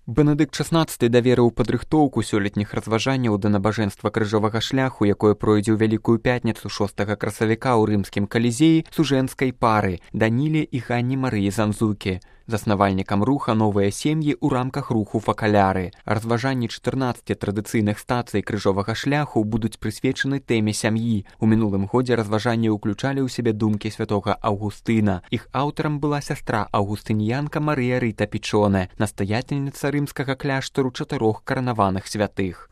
Бенедыкт XVI даверыў падрыхтоўку сёлетніх разважанняў да набажэнства крыжовага шляху, якое пройдзе ў Вялікую пятніцу 6 красавіка ў рымскім калізеі сужэнскай пары Даніле і Ганне Марыі Занзукі, заснавальнікам руха «Новыя сем'і» ў рамках руху «Факаляры». Разважанні 14 традыцыйных стацый крыжовага шляху будуць прысвечаны тэме сям'і. У мінулым годзе разважанні ўключалі ў сябе думкі святога Аўгустына. Іх аўтарам была сястра аўгустыніянка Марыя Рыта Пічонэ, настаятельніца рымскага кляштару 4 каранаваных святых.